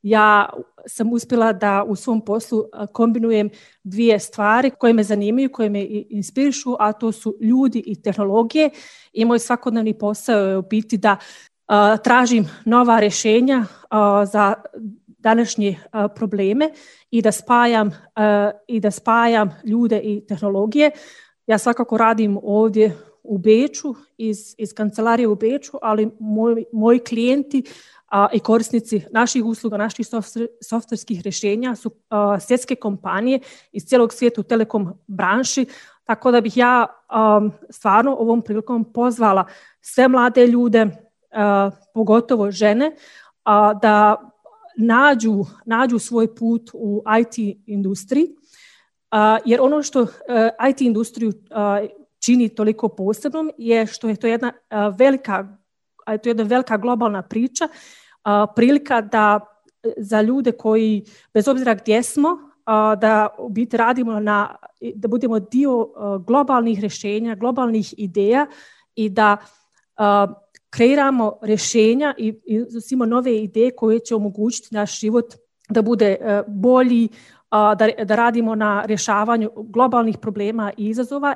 ja sam uspjela da u svom poslu kombinujem dvije stvari koje me zanimaju, koje me inspirišu, a to su ljudi i tehnologije. I moj svakodnevni posao je u biti da tražim nova rješenja za današnje probleme i da spajam ljude i tehnologije. Ja svakako radim ovdje u Beču, iz kancelarije u Beču, ali moji klijenti i korisnici naših usluga, naših softverskih rješenja su svjetske kompanije iz cijelog svijeta u telekom branši, tako da bih ja stvarno ovom prilikom pozvala sve mlade ljude, pogotovo žene, da nađu svoj put u IT industriji, jer ono što IT industriju čini toliko posebnom je što je to jedna velika globalna priča, prilika da za ljude koji, bez obzira gdje smo, da u biti radimo da budemo dio globalnih rješenja, globalnih ideja i da kreiramo rješenja i iznosimo nove ideje koje će omogućiti naš život da bude bolji, da radimo na rješavanju globalnih problema i izazova.